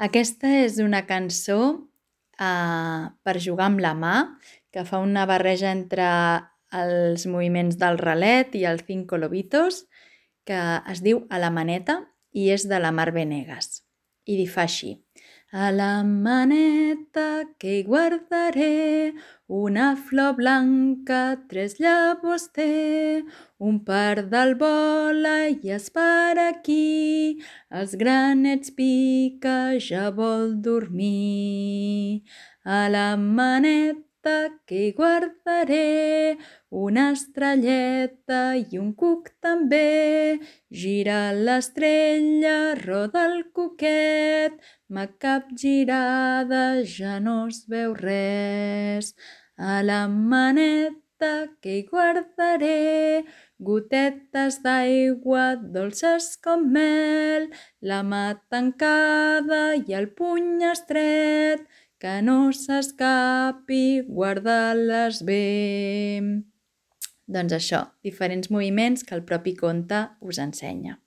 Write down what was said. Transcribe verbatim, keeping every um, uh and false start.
Aquesta és una cançó eh, per jugar amb la mà, que fa una barreja entre els moviments del ralet i els cinco lobitos, que es diu A la maneta i és de la Mar Venegas. I di fa així: a la maneta que hi guardaré, una flor blanca, tres llavors té, un pardal vola i es para aquí, els granets pica, ja vol dormir. A la maneta que hi guardaré, una estrelleta i un cuc també, gira l'estrella, roda el cuquet, ma capgirada ja no es veu res. A la maneta que hi guardaré, gotetes d'aigua dolces com mel, la mà tancada i el puny estret, que no s'escapi, guarda-les bé. Doncs això, diferents moviments que el propi conte us ensenya.